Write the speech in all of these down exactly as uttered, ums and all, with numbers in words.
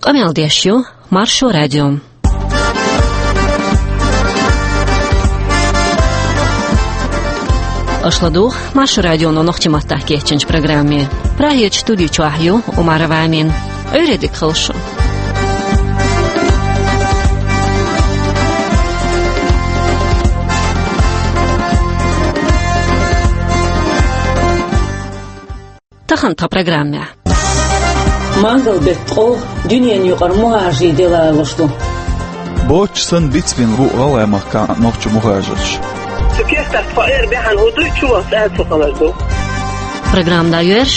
Къамел деш ю Маршо радио. Аша ладугӀу Маршо радионо нохчийн маттахь кечйинчу программе. Прагерчу студи чохь ю Умарова Амина. Ӏуьйре дика хуьлда шун. Тахана тхан программехь. Мангал-беттан ткъолгӀа дуьненан юкъара мухӀажарийн де лоруш ду. Боцуш санна бицбина бу ГӀалгӀай махкахь нохчийн мухӀажарш. Цу кехатах тхо эр баьхьана хӀун дуй, чу ваха цӀа а ца хилар ду. Программа дӀайоьрзуш.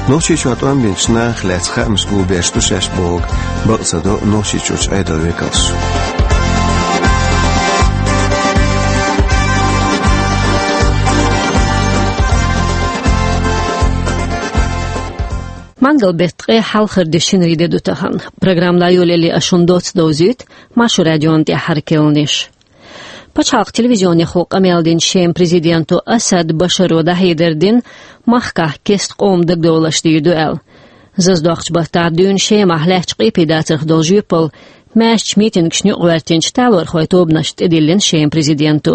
Нохчийчохь тӀом бинчу нахах лаьцна хаамаш гулбеш ду шаьш бохург бакъ ца до Нохчийчуьрчу Ӏедалан векалш. Мангал-беттан ткъе хьалхара де, шинарин де ду тахана. Программа дӀайолале ас шуна доцца довзуьйту Маршо радион тӀаьххьара керланаш. Пачхьалкхан телевизионехула къамел динчу Шеман президенто Асад Башаро дӀахьедар дина, махкахь кеста къоман дагадовларш дийр ду аьлла. Зазадоккхучу баттахь дуьйна Шемахь лаьттачу къепедацарх долу жоьпалла маьршачу митингашна юкъагӀоьртинчу талорхойн тобанашна тӀедиллина Шеман президенто.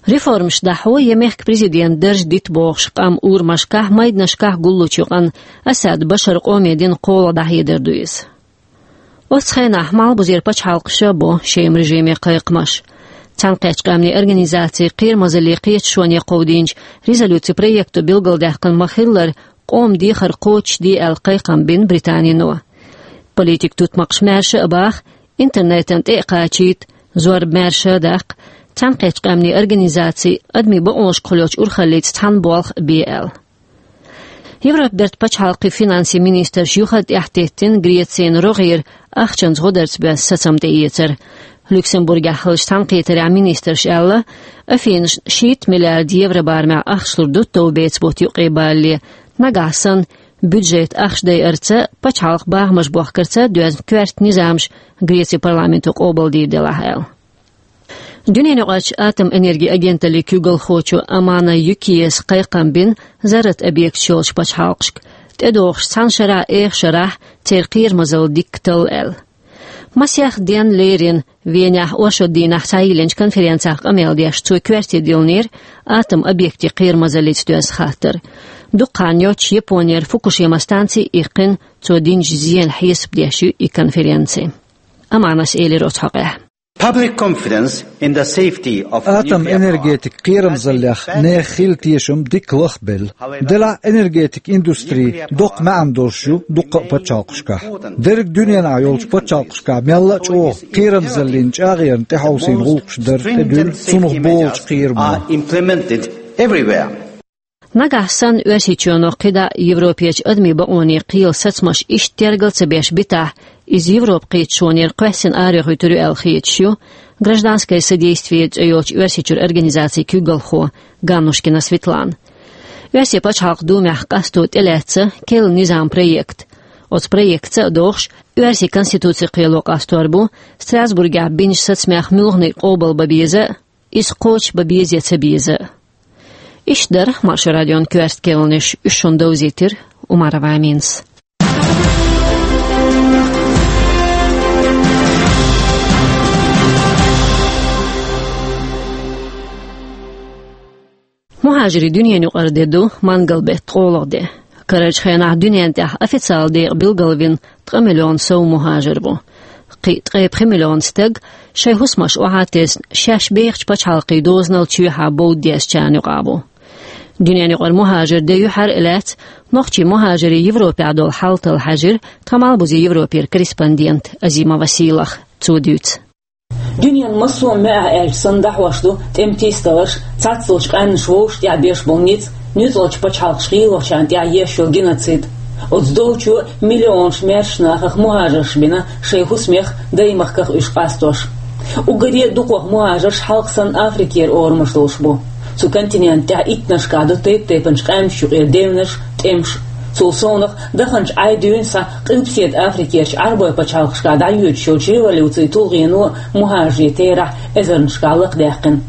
Реформаш дӀахьо я мехкан президентан дарж дита бохуш къам урамашкахь, майданашкахь гуллучу юкъана Асад Башара къоме дина кхоалгӀа дӀахьедар ду иза. Оццу хенахь Малхбузера пачхьалкхаша бо Шеман режиме кхайкхамаш. Цхьаьнакхеттачу Къаьмнийн Организацин кхерамазаллин кхеташоне кховдийначу резолюцин проекто билгалдаьккхина ма-хиллара, къоман дехар кхочушде аьлла кхайкхам бина Британино. Политикан тутмакхаш маьрша а баха, интернетана тӀе а кхачийта, зорба маьрша а даккха, Цхьаьнакхеттачу Къаьмнийн Организаци адамийн бакъонашкахула йолчу урхаллица цхьаьна болх а бе аьлла. Европан бертан пачхьалкхийн финансийн министраш юха а тӀаьхьатеттина Грецина рогӀера ахчанца гӀодарца боьзна сацам тӀеэцар. Люксембургехь хиллачу цхьаьнакхетарехь министраша аьлла, Афинашна шийтта миллиард евро барамехь ахча лур ду товбеца бутт юкъе балале, нагахь санна бюджетан ахча дайарца, пачхьалкхан бахамаш бохкарца доьзна коьрта низамаш Грецин парламенто къобалдийр делахь аьлла. Дуьненаюкъарчу атомэнерги агенталлин куьйгалхочо Амана Юкиеса кхайкхам бина зарратан объекташ йолчу пачхьалкхашка, тӀедогӀучу цхьана шарахь, эха шарахь церан кхерамазалла дика талла аьлла. Масех денна лерина Венехь оршот дийнахь схьайиллинчу конференцехь къамел деш, цо коьрте диллинера атоман объектийн кхерамазаллица доьзна хаттар. Дукха хан йоццуш Японера Фукушима станци а иккхина, цо динчу зенан хьесап деш ю и конференци. Аманас элира оцу хьокъехь. Public confidence in the safety of атом nuclear энергетикан кхерамзаллех нехан хилла тешам дика лахбелла. Делахь энергетикан индустри доккха маьӀна долуш ю дуккха а пачхьалкхашкахь. Дерриг дуьненахь йолчу пачхьалкхашкахь мелла а чӀогӀа кхерамзаллин чӀагӀъярна тӀехьовсийна гӀуллакхаш дара тӀедуьллу цунах болчу кхерамо. Are implemented everywhere. Нагахь санна Оьрсийчоьно кхидӀа Европерчу адамийн бакъонийн кхелан сацамаш иштта тергал ца беш битахь, иза Европан кхеташонера кхоьссина арахуьйтур ю аьлла хеташ ю «Гражданское содействие» цӀе йолчу Оьрсийчуьра организацин куьйгалхо Ганнушкина Светлана. Оьрсийн пачхьалкхан Думехь къасто тӀелаьцна керла низам проект. Оцу проектца а догӀуш, оьрсийн конституци кхело къастор бу, Страсбургехь бинчу сацамех муьлханиг къобалбан беза а, иза кхочушбан беза я ца беза а. Иштта дара Маршо радион коьрта керланаш, уьш шуна довзийтира Умарова Аминас. МухӀажирийн дуьненаюкъара де ду Мангал-беттан ткъолгӀа де. Карарчу хенахь дуьненна тӀехь официалан декъе билгалвина ткъа миллион сов мухӀажар ву. Кхин ткъе пхи миллион стаг шайн хӀусамаш охьатесна, шаьш бехачу пачхьалкхийн дозанал чоьхьа бовда дезачарна юкъахь ву. Дуьненаюкъара мухӀажирийн де юьхьар а лаьцна, нохчийн мухӀажирийн Европехь долу хьал талла хьаьжира тхан Малхбузера Европера корреспондент Азимова Сийлаха. Цо дуьйцу. Дуьненан массо а маьӀӀехь аьлча санна дӀахьош ду тӀеман тийсадаларш, цхьаццалчу къаьмнаш вовшах тӀехь беш болу ницкъ, нуьцкъалчу пачхьалкхашка гӀийлачарна тӀехь еш йолу геноцид. Оцу долчо миллионаш маьршачу нахах мухӀажарш бина шайн хӀусамех, даймахках уьш къастош. Уггаре а дукхах мухӀажарш хьалха санна Африкера орамаш долуш бу. Цу континента тӀехь иттаннашкахь ду тайп-тайпанчу къаьмнаш юкъера девнарш, тӀемаш. Цул совнаха, даханчу Ӏай дуьйна схьа Къилбаседа Африкерчу Ӏарбойн пачхьалкхашкахь дӀайоьдуш йолчу революцин тулгӀено мухӀажарийн терахь эзарнашкахь лакхадаьккхина.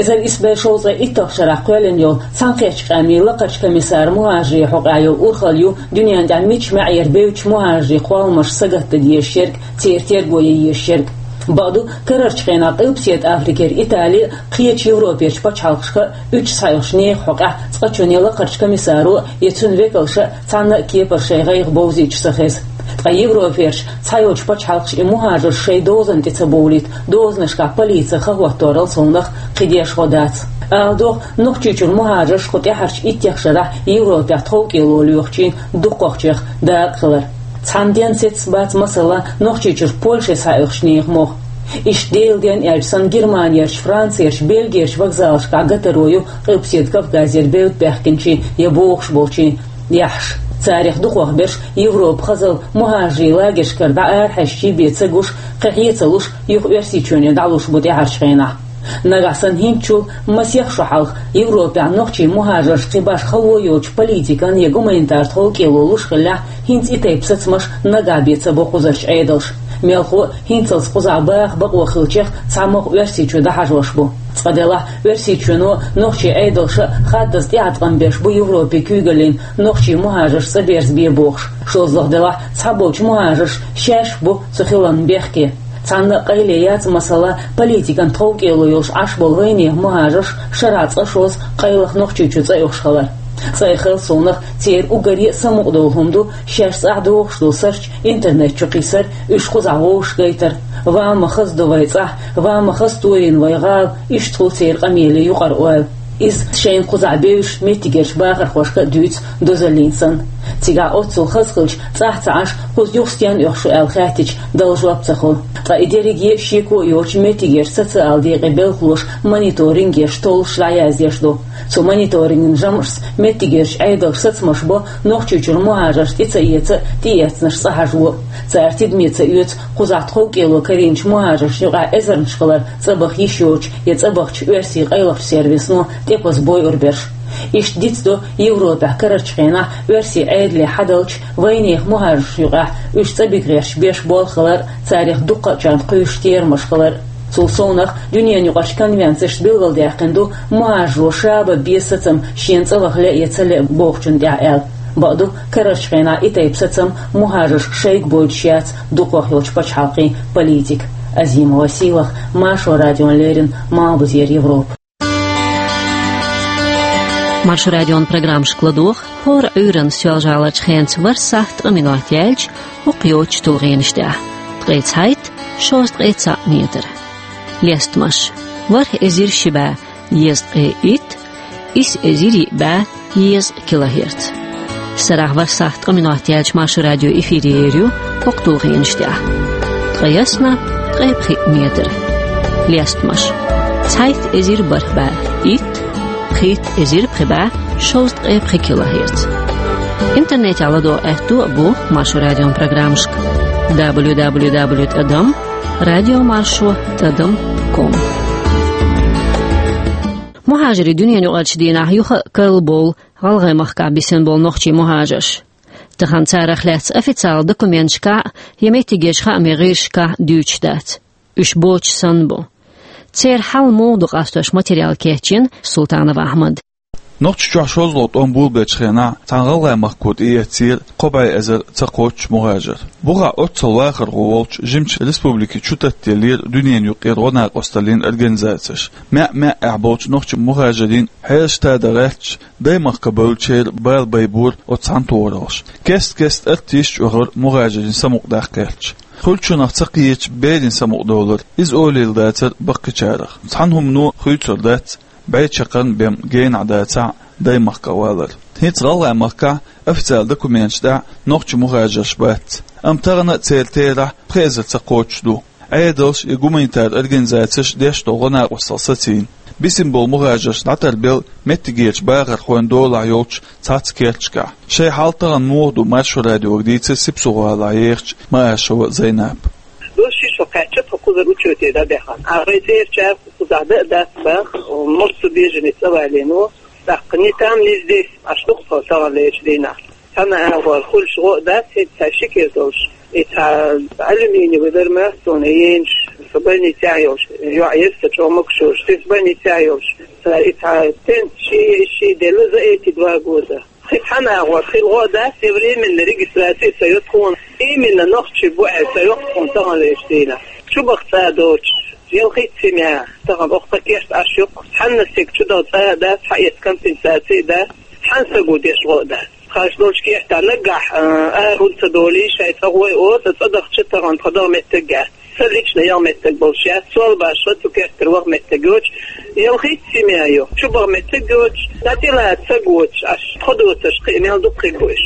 Эзар исс бӀе шовзткъе итталгӀача шарахь кхоьллина йолу Цхьаьнакхеттачу къаьмнийн лакхарчу комиссаран мухӀажарийн хьокъехь йолу урхалла ю дуьненна тӀехь мичча маьӀӀера бевддачу мухӀажарийн кхолламаш сагатдан дезарг, церан терго ян дезарг. Бакъду, карарчу хенахь Къилбаседа Африкера Итали а, кхечу Европерчу пачхьалкхашка а уьдуш схьаоьхучу нехан хьокъехь цкъачунна я лакхарчу комиссаро, я цуьнан векалша а цхьанна а кепара шайн гӀайгӀа бовзуьйтуш ца хеза. Ткъа Европерчу цхьайолчу пачхьалкхаша и мухӀажарш шайн дозанна тӀе ца бовлийта, дозанашкахь полици хан хӀотторал совнаха кхин дешхо дац. Ала догӀу, Нохчийчуьра мухӀажарш кху тӀаьхьарчу иттех шарахь Европехь тховкӀело лоьхучийн дукхахчех дакъа хилар. Цхьана денна сецна бац, масала, Нохчийчуьра Польше схьаоьхучу нехан мохь. Иштта Делан денна аьлча санна Германерчу, Францерчу, Бельгерчу вокзалашкахь гатаро ю Къилбаседа Кавказера бевдда баьхкинчийн я бохуш болчийн яхьаш. Царах дукхахберш Европа хазалла мухӀажарийн лагершкара дӀа арахьаьжча бен ца гуш, кхин хье ца луш, юха Оьрсийчоьне дӀалуш бу тӀаьхьарчу хенахь. Нагахь санна хӀинцачул масех шо хьалха Европехь нохчийн мухӀажаршна кхин башха хало йоцучу политикан я гуманитар тховкӀело луш хиллехь, хӀинца и тайпа сацамаш нагахь бен ца бо кхузарчу Ӏедалша. Мелхо а, хӀинцалц кхузахь баха бакъо хиллачех цхьамогӀа Оьрсийчу дӀахьажош бу. Цкъа делахь, Оьрсийчоьно, нохчийн Ӏедалша хаддаза тӀеӀаткъам беш бу Европин куьйгаллина нохчийн мухӀажарш цӀа берзабе бохуш. ШозлагӀа делахь, цхьаболчу мухӀажарша шаьш бу цу хиларна бехке. Цхьанна а къайле яц, масала, политикан тховкӀело йолуш Ӏаш болу вайнехан мухӀажарш шарахь цкъа-шозза къайлаха Нохчийчу цӀа оьхуш хилар. Цкъа и хелла совнаха, церан уггаре а самукъадолу хӀума ду шаьш цӀахь дохуш долу сурт интернет чу кхиссар, уьш кхузахь вовшахгайтар. «Ва ма хаза ду вай цӀахь, ва ма хаза тоьйна вай гӀала», иштта хуьлу церан къамеле юкъара ойла. Иза шайна кхузахь бевзачу меттигерчу бахархошка а дуьйцу дозаллина санна. Цигахь оццул хаза хилча, цӀахь ца Ӏаш, кхуза юха стенна оьху шу аьлла хаьттича, дала жоп ца хуьлу. Ткъа и дерриге а шеко а йоцуш, меттигерчу социалан декъийн белхалоша мониторинг еш, толлуш дӀаяздеш ду. Цу мониторинган жамӀашца меттигерчу Ӏедалша сацамаш бо Нохчийчуьра мухӀажарш тӀе ца эца а, тӀеэцнарш цӀа хьажо а. Цара тидаме ца оьцу кхузахь тховкӀело карийначу мухӀажаршна юкъахь эзарнаш хилар цӀа баха йиш йоцучу я цӀа бахча оьрсийн къайлахчу сервисно тӀекхоза бойур берш. Иштта дицдо Европехь карарчу хенахь оьрсийн Ӏедале хьадалча вайнехан мухӀажаршна юкъахь уьш цӀа бига гӀерташ беш болх хилар а, царах дуккха а чӀогӀа кхуьйсуш терамаш хилар а. Цул совнаха, дуьненаюкъарчу конвенцешца билгалдаьккхина ду мухӀажаро ша бан беза сацам шена цӀа ваха лаьа я ца лаьа бохучунна тӀехь аьлла. Бакъду, карарчу хенахь и тайпа сацам мухӀажаршка шайга бойтуш яц дукхах йолчу пачхьалкхийн политика. Азима Василах, Маршо радиона леррина, Малхбузера Европа. Маршо радион программашка ладогӀа хӀора Ӏуьйранна Соьлжа-ГӀаларчу хенца ворхӀ сахьт ткъа минот яьлча хӀокху йоцчу тулгӀенаш тӀехь: ткъе цхьайтта, шовзткъе цхьаъ метр. Лестамаш: ворхӀ эзар ши бӀе езткъе итт, исс эзар йиъ бӀе езткъа килогерц. Сарахь ворхӀ сахьт ткъа минот яьлча Маршо радио эфире ер ю хӀокху тулгӀенаш тӀехь: ткъе ялх, ткъе пхиъ метр. Лестамаш: цхьайтта эзар бархӀ бӀе итт, пхийтта эзар пхи бӀе шовзткъе пхи килогерц. Интернетехь ладогӀа аьтто а бу Маршо радион программашка: дабл ю дабл ю дабл ю тӀадам радиомаршо тӀадам ком. Мухьажарийн дуьненаюкъарчу дийнахь юха а карла бовлу ГӀалгӀай махкахь бисина болу нохчийн мухьажарш. Тахана царах лаьцна официалан документашкахь а, я меттигерчу хаамийн гӀирсашкахь а дуьйцуш дац. Уьш боцуш санна бу. Церан хьал муха ду къастош материал кечйина Султанов Ахьмада. Нохчийчохь шозлагӀа тӀом болабеллачу хенахь цхьана ГӀалгӀай махко тӀеэцнера кхо бӀе эзар ца кхоччуш мухьажар. Бухахь оццул вахархо волчу жимачу республикин чу таттаделлера дуьненаюкъара гӀо-накъосталлин организацеш. МаьӀ-маьӀӀехь болчу нохчийн мухьажарийн хьелаш тӀедогӀуш, даймахка бевллачеран бала байбора оцу цхьана тохараллаша. Кест-кеста артисташ а оьхура мухьажарийн самукъадаккха гӀерташ. Хуьлучунах ца кхеташ берийн самукъадовлар, иза олийла дацара баккхийчарах. Цхьана хӀумано хуьйцур дац бӀе чаккхарма бен генахь дацахь а даймахках валар. ХӀинца ГӀалгӀай махкахь официалан документаш тӀехь нохчийн мухьажарш бац. Амма тахана а церан терахь пхи эзар ца кхоччуш ду. Ӏедалш я гуманитар организацеш деш долу гӀо-накъосталла сацийна. Бисина болу мухьажарш дӀатарбелла меттигерчу бахархойн долахь йолчу цхьацца керташкахь. Шайн хьал тахана муха ду Маршо радиога дийцира Сипсугӏалахь ехачу Маашева Зайнапа. Дош ши шо кхаьчча, тхо кхузара учёте дӀабаьхна. А вай цӀерачара кхузахь дан а дац баха, массо беженец цӀа валийна ву. ТӀаккха ни там, ни здесь, аш ду-кх тхо таханлерчу дийнахь. Цхьана агӀор хуьлуш гӀо а дац, хӀинца цхьа ши кира долуш. И цхьа алюминиевый вермеастон, и енаш, Со больницехь йолуш, йоӀ яра сан чӀогӀа могуш йолуш, со больницехь йолуш. Цара и цхьа тент ши, ши делла за эти два года. Хи цхьана агӀор, хила гӀо а дац, и временна регистраци а ца йо тхуна. Именно нохчий бу аьлла ца йо тхуна тахана вешан дийнахь. Чубаха цӀа доцуш, ялхитта семья, тахана оха тхан керта Ӏаш ю-кх. Цхьанна стеган чудаха цӀа а дац, хьаэца компенсаци а дац, цхьана стага деш гӀо а дац. Тхаьш долчу кертахь наггахь, а, ара хӀунда ца долий, шайн цӀа гӀой оцу, цӀа дахча тахана тхан даха меттиг а яц. Сан личный яха меттиг болуш яц, сол башха цу кертара ваха меттиг йоцуш, ялхитта семья ю, чубаха меттиг йоцуш, дӀатӀелаца ца гоцуш, аш тхо доцурш кхин а мел дукха хир бу уьш.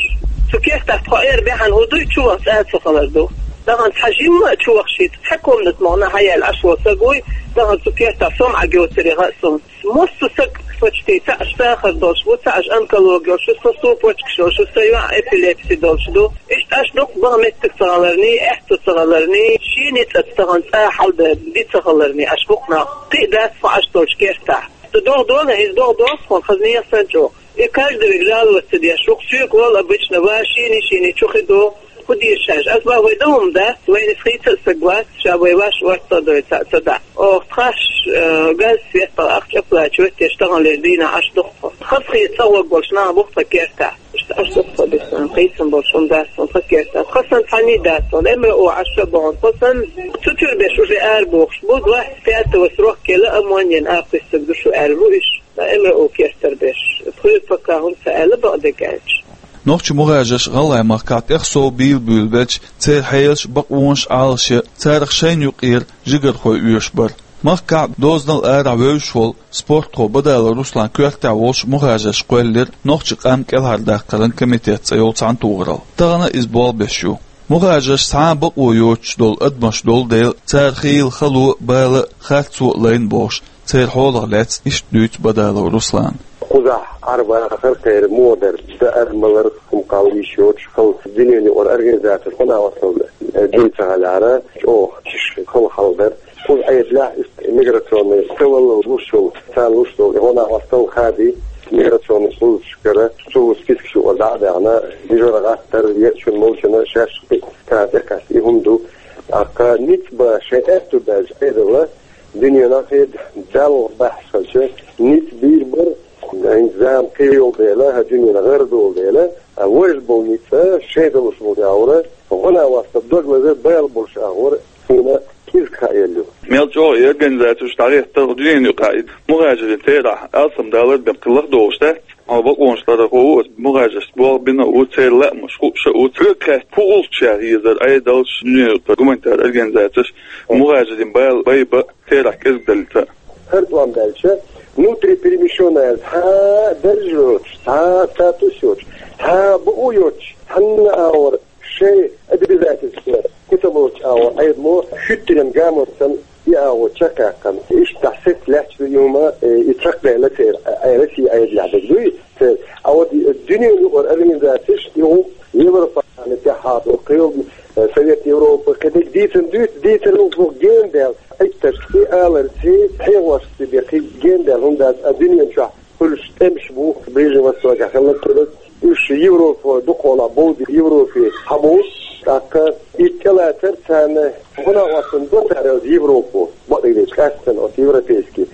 Цу кертахь тхо эр бехьана хӀун дуй, чуваха цӀа а ца хилар ду. Тахана цхьа жимма а чувахча, цхьа комната мохна хьаяьлла Ӏаш волу стаг вуй, тахана цу кертахь со ма Ӏа гоцур яха а суна. Массо а стаг почти цхьаъ сахар долуш бу, цхьаъ онкологи йолуш ю, со супочкаш йолуш ю, сан йоӀ эпилепси долуш ду. Иштта Ӏаш дукха баха меттиг ца хиларний, аьтто ца хиларний, шен ницкъаца тахана цӀа хьалдан ди ца хиларний, Ӏаш бу-кх нах. Кхин а дац тхо Ӏаш долчу кертахь. Сан догӀа долу, иза догӀа долу тхуна, хазна яхсан чӀогӀа. И каждый век жаловаться деш ву-кх, соьга вол обычно ва шийний-шийний чу хи ду. ХӀун дийша шаьш? Ас бах, вай дан хӀума дац, вайна иза хийца а стаг вац, ша вай ваш орца а дойла ца, ца дӀа. Оха тхаьш, э, газ, свет, ахча оплачивать деш, таханлера дийнахь Ӏаш ду-кх тхо. Хазахета цӀа гӀоргволуш нах бу-кх тхан кертахь. Иштта Ӏаш ду-кх тхо, бисман, кхийсам болуш хӀума дац тхуна тхан кертахь. Тхан санна цхьанний дац тхуна, МРО Ӏаш а бохьуна, тхан санна цу чуьра берш уже арабохуш бу, двадцать пятого срок елла, ОМОН-ан а кхуьссург ду шу аьлла бу уьш. Ткъа МРО кертара берш. Тхоьга пока хӀума ца аьлла, бакъдерг аьлча. Нохчий мухӀажарш ГӀалгӀай махкахь тӀех сов бийла буьйлабелча, церан хьелаш, бакъонаш, Ӏалашъян, царах шайна юкъара жигархой оьшуш бара. Махкахь а, дозанал а арахь вевзаш волу спортхо Бадалов Руслан коьртехь волуш мухӀажарш кхоьллира нохчийн къам кӀелхьардаккхаран комитет цӀе йолу цхьаьнатохаралла. Тахана иза болх беш ю. МухӀажарш цхьа а бакъо йоцуш долу адамаш долу дела, цара хийла хало а, бала а, харцо а лайна бохуш, церан хьолах лаьцна иштта дуьйцу Бадалов Руслана. Кхузахь Ӏарбахар кхеран мо дара, даар-малар, хӀума-кхалла йиш йоцуш, хала дуьненан юкъара организацеш гӀо-накъосталла, э, дина ца хилар, чӀогӀа чӀогӀа хала хьал дара. Кхуза Ӏедалехь иштта миграционный, цхьаваллал луш йолу, царна луш долу гӀо-накъосталла хадий, миграционный службашкара цу спискаш юкъара дӀа а даьхна, дижара гӀаттар, езачунна, молчунна шаьш кхин а царна тӀекхаьчна и хӀума ду. ТӀаккха ницкъ бан шайн аьтто баьлча Ӏедална, дуьненахь хӀета Далла бахьаш хилча, ницкъ бийр бара, хӀинца зама кхин йолу дела, хӀара дуьненан гӀар долу дела, а важа болу ницкъ шайн долуш болу агӀора, гӀо-накъосталла дог лазар бала болуш агӀора, суна кӀезиг хаьа ю. Мел чӀогӀа и организацеш дӀагӀеттара дуьненан юкъахь и мухӀажарийн терахь алсамдалар бен кхин лахдолуш дац. Хьо бакъонаш ларъярхо ву, оцу мухӀажаршна болх бина а ву, церан лаамаш хууш а ву. Цуьнга хаьттича, хӀун гӀуллакхаш яхьа езара Ӏедалш, дуьненан юкъара гуманитар организацеш мухӀажарийн бала байбан а, терахь кӀезиг далийта а? ХӀара тӀом баьлча, внутриперемещённый цхьа а дарж йоцуш, цхьа а статус йоцуш, цхьа а бакъо йоцуш, цхьанна а агӀор шайн обязательстваш кхин ца лоцуш агӀор Ӏедало хӀуьттаренна гамонца санна и агӀо чекхъяьккхина. Иштта сецца лаьтташ ду и хӀума, э, и чекхдевлла церан, э, Россин Ӏедалехь дерг дуй церан. А вот и дуьненан юкъара организацеш, и гӀуллакх Европарламентехь а ду, кхин, э, Совет Европы, кхин дерг дийцина дуьйцу, дийцар гӀуллакх генадаьлла, Ӏиттаршций, аларций, хьехошций бен кхин генадаьлла хӀума дац, а дуьнен чохь хуьлуш тӀемаш бу, Ближний Востокехь хилларг а хиларг. Уьш Европа дукхахьолахь бовдий, Европе хьабовлу, тӀаккха и тӀелацар царна, хӀунда аьлча царна до цара Европо, бакъдерг дийцича, къаьсттина оцу европейский,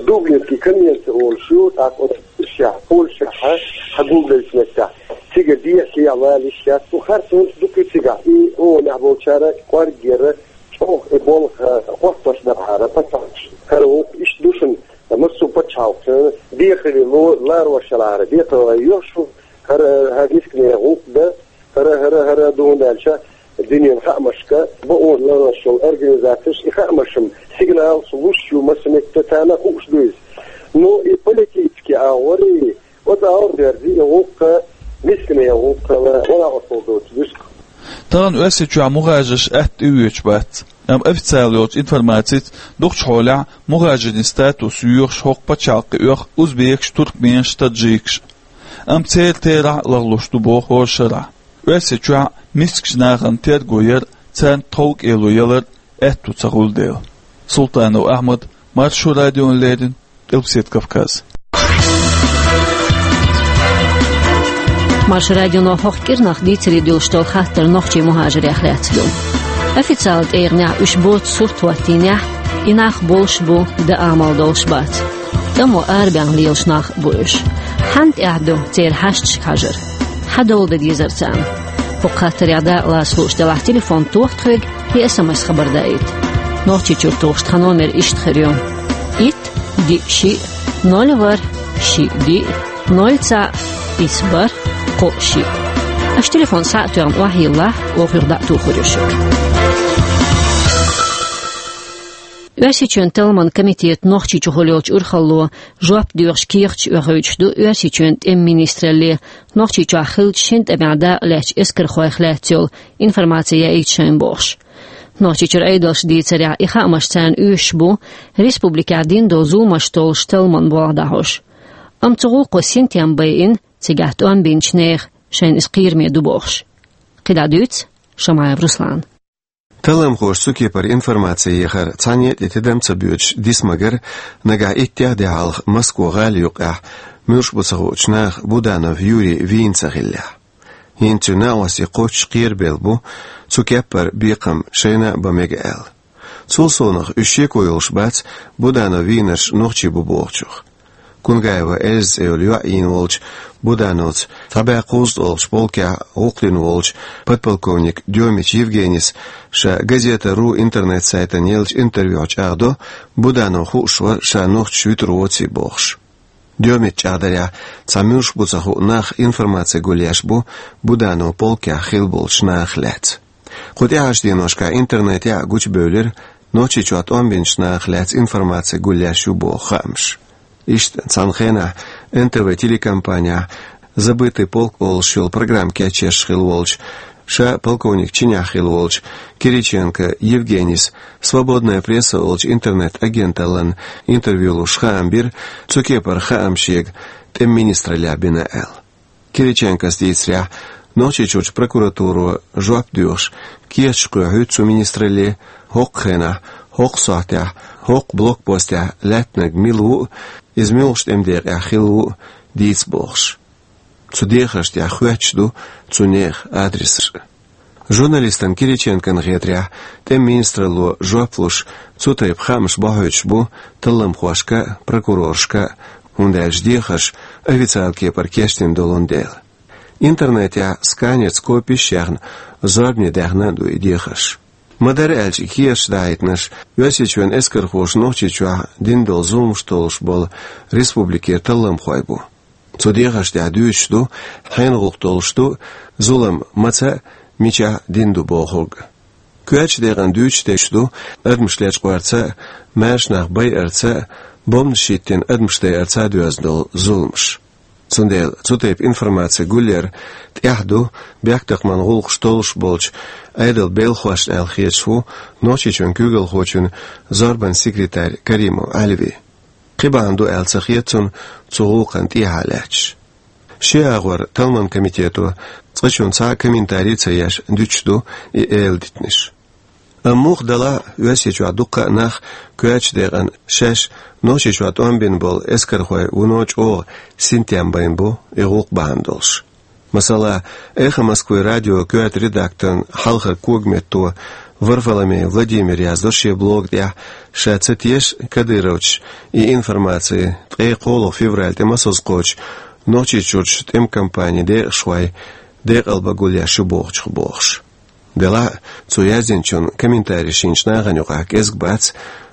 Дублинский конвенция олуш ю, тӀаккха оцу Польшехь, Польшехь хьагулбеллачу меттехь, цигара дехьа-сехьа вала йиш яц, цу харцонца дукха ю цигахь, и ООНехь болчара кӀорггера чӀогӀа и болх хӀоттош дара хӀара пачхьалкхаш. ХӀара ву иштта ду шуна, массо а пачхьалкхашна декхаре ло-, ларош ялахьара, декхаре йо шу, хӀара, хӀара мискане гӀуллакх дан, хӀара, хӀара, хӀара ду, хӀунда аьлча дуьненан хаамашка, бакъо ларъеш йолу организацеш, и хаамаш-м сигналаш луш ю, массо а меттехь царна хууш ду иза. Ну, и политически агӀор, и оцу агӀор дерзий, и гӀуллакх мискане гӀуллакх хилла, гӀо-накъосталла доцу дуьску. Тахана Оьрсийчохь мухӀажарш атта тӀеоьцуш бац. Амма официалан йолчу информацица, дукхачу хьолехь мухӀажарийн статус йоьхуш хӀокху пачхьалкхе оьху узбекаш, туркменаш, таджикаш. Амма церан терахь а лахлуш ду боху хӀора шарахь. Оьрсийчохь мискачу нахана терго яр а, царна тховкӀело ялар а аьтту ца хуьлу дела. Султанов Ахьмад, Маршо радиона леррина, Къилбаседа Кавказ. Маршо радионо хӀокху кӀирнах дийцаре дуьллуш долу хаттар нохчийн мухӀажарех лаьцна ду. Официалан тӀегӀанехь уьш боцу сурт хӀоттийнехь, и нах болуш бу, дан амал долуш бац. ТӀамо арабаьхна лелаш нах а бу уьш. Хьанна тӀехь ду церан хьашташка хьажар? Хьан дола дан дезара царна? ХӀокху хаттарех дакъалаца хууш делахь, телефон тоха тхоьга я эс эм эс хабар даийта. Нохчийчуьра тухуш тхан номер иштта хир ю: итт, диъ, шиъ, ноль, ворхӀ, шиъ, диъ, ноль, цхьаъ, исс, бархӀ, кхоъ, шиъ. Аша телефон схьа а тоьхна охьайиллахь, оха юха дӀа а тухур ю шуьга. Оьрсийчоьнан талламан комитетан Нохчийчухула йолчу урхалло жоп доьхуш кехаташ оьхуьйтуш ду Оьрсийчоьнан тӀеман министралле Нохчийчохь хиллачу шина тӀамехь дакъалаьцначу эскархойх лаьцна йолу информаци яийта шайна бохуш. Нохчийчуьра Ӏедалша дийцарехь, и хаамаш царна оьшуш бу республикехь дина долу зуламаш толлуш талламан болх дӀахьош. Амма цу гӀуллакхо синтем байина, цигахь тӀом бинчу нехан, шайна иза кхераме ду бохуш. КхидӀа дуьйцу Шамаев Руслана. Талламхоша цу кепара информаци яхар цхьанне а тӀе тидам ца боьдуш дисмагар, нагахь иттех де хьалха Москва гӀала юккъехь муьлш бу ца хуучу наха Буданов Юрий вийна ца хиллехь. ХӀинца цуьнан накъостий кхоччуш кхерабелла бу, цу кеппара бекхам шайна а бан мега аьлла. Цул совнаха уьш шеко йолуш бац Буданов вийнарш нохчий бу бохучух. Кунгаева Эльза цӀе йолу йоӀ йийна волчу Будановца цхьа бӀе кхузткъа олучу полкехь гӀуллакх дина волчу подполковник Дёмич Евгенис ша Газета ру интернет-сайтана еллачу интервьюхь чӀагӀдо, Буданов хууш вара ша нохчаш вуьтур воций бохуш. Дёмича чӀагӀдарехь, цхьа муьлш бу ца хуу нах информаци гулъеш бу Буданов полкехь хилла болчу нахах лаьцна. Кху тӀаьхьарчу деношкахь интернетехь а гучубевлира, Нохчийчохь тӀом бинчу нахах лаьцна информаци гулъеш ю боху хаамаш. Иштта цхьана хенахь Н Т В телекомпанехь «Забытый полк» олуш йолу программа кечъеш хилла волчу, ша полковник чинехь хилла волчу Кириченко Евгенис «Свободная пресса» олучу интернет-агенталлина интервью луш хаам бира, цу кепара хаам шега тӀеман министраллехь бина аьлла. Кириченкос дийцарехь, Нохчийчуьрчу прокуратуро жоп доьхуш кехаташ кхоьхьуьйту цу министралле, хӀокху хенахь, хӀокху сохьтехь, хӀокху блокпостехь лаьттинарг мила ву а, иза муьлхачу тӀеман декъехь хилла ву а дийца бохуш. Цу дехаршна тӀехь хоьттуш ду цу нехан адресаш. Журналистана Кириченкона хетарехь, тӀеман министралло жоп луш, цу тайпа хаамаш бохьуьйтуш бу талламхошка а, прокуроршка а, хӀунда аьлча дехарш официалан кепара кечдина долун дела. Интернетехь сканерца копиш а яьхна, зорбане даьхна а ду и дехарш. Ма-дарра аьлча, и кехаташ дахьийтинарш Оьрсийчоьнан эскархоша Нохчийчохь дина долу зуламаш толлуш болу республикера талламхой бу. Цу дехаршна тӀехь дуьйцуш ду, хьенан гӀуллакх долуш ду, зулам маца а, мичахь а дина ду бохург. Коьртачу декъана дуьйцуш дерш ду адамаш лечкъорца а, маьрша нах байарца а, бомбанаш хӀиттина адамаш дайарца а доьзна долу зуламаш. Цундела цу тайпа информаци гулъяр тӀехь ду бехктакхаман гӀуллакхаш толлуш болчу Ӏедалан белхахошна аьлла хеташ ву Нохчийчоьнан куьйгалхочун зорбанан секретарь Каримов Ӏаьлви. Кхин бахьана ду аьлла ца хета цунна цу гӀуллакхана тӀехьа лаьтташ. Ши агӀор талламан комитето цкъачунна цхьа а комментарий ца еш дуьтуш ду и эладитанаш. Амма муха делахь а, Оьрсийчохь дуккха а нах коьртачу декъана шаьш Нохчийчохь тӀом бина болу эскархой вуно чӀогӀа синтем байна бу и гӀуллакх бахьана долуш. Масала, «Эхо Москвы» радион коьрта редакторан хьалхара когаметто Варфоломей Владимира яздо шен блога тӀехь, ша ца теша кадыровцаша и информаци ткъе кхоалгӀа февраль тӀе массаза кхочу Нохчийчуьрчу тӀеман компанин декъашхой декъалбан гулъеш ю бохучух бохуш. Делахь а, цо яздинчун комментареш йинчу нахана юкъахь кӀезиг бац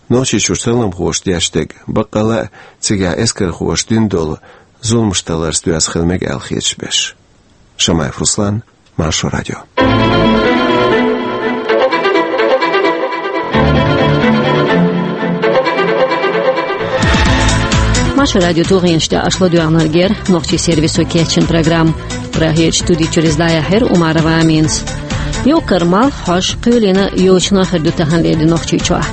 Нохчийчуьрчу талламхоша деш дерг, баккъалла а цигахь эскархоша дина долу зуламаш талларца доьзна хила мега аьлла хеташ берш. Шамаев Руслан, Маршо радио. Маршо радион тулгӀенаш тӀехь аша ладоьгӀнарг яра нохчийн сервисо кечйина программа. Прагерчу студи чуьра иза дӀаяьхьира Умарова Аминас. Юккъера малх хьожуш, кхоьлина йочано хир ду таханлера ди Нохчийчохь.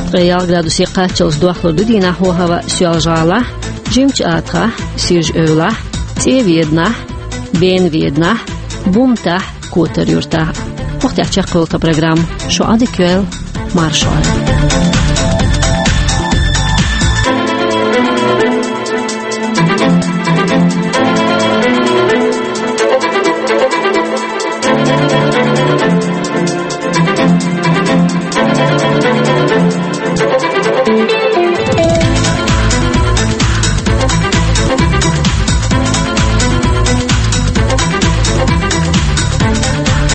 Ткъе ялх градусе кхаччалц дохлур ду дийнахь хӀаваъ Соьлжа-ГӀалахь, Жимачу АтагӀахь, Сиржа-Эвлахь, ЦӀе-Веданахь, Бен-Веданахь, Бумтахь, Котар-Юьртахь. ХӀокху тӀехь чекхйолу тхан программа. Шу Ӏадика йойла, маршалла.